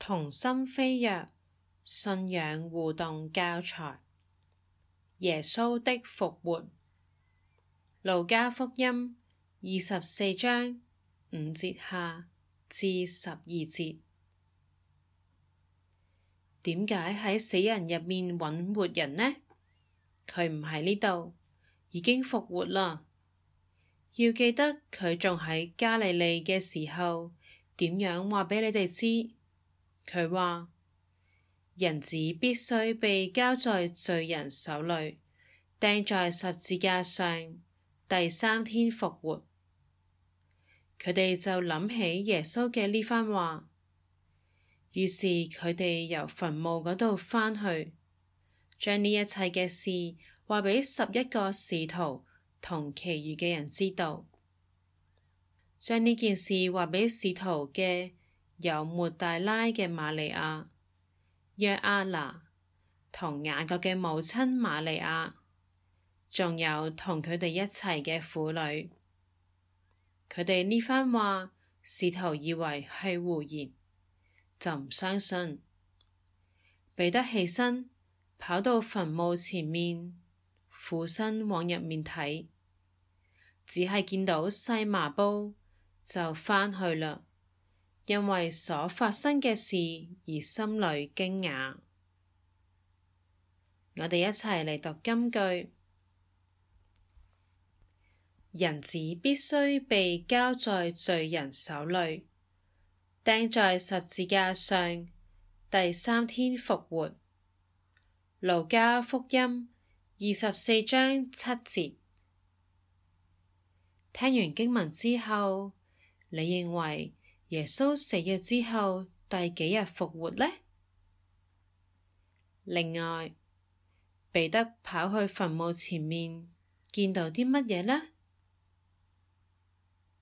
同心飛躍信仰互動教材。耶穌的復活。路加福音24章5節下至12節。點解喺死人入面揾活人呢？佢唔喺呢度，已經復活啦。要記得佢仲喺加利利嘅時候，點樣話俾你哋知？佢話人子必須被交在罪人手裏，釘在十字架上，第3天復活。佢哋就諗起耶穌嘅呢番話，於是佢哋由墳墓嗰度返去，將呢一切嘅事話俾11個使徒同其餘嘅人知道。將呢件事話俾使徒嘅有抹大拉嘅瑪利亞、約阿拿同雅各嘅母親瑪利亞，仲有同佢哋一齊嘅婦女。佢哋呢番話，使徒以為係胡言，就唔相信。彼得起身，跑到墳墓前面，俯身往入面睇，只係見到細麻布，就返去啦，因為所發生嘅事而心裏驚訝。我哋一齊嚟讀金句。人子必須被交在罪人手裏，釘在十字架上，第3天復活。路加福音24章7節。聽完經文之後，你認為耶穌死咗之後第幾日復活呢？另外，彼得跑去墳墓前面，見到啲乜嘢呢？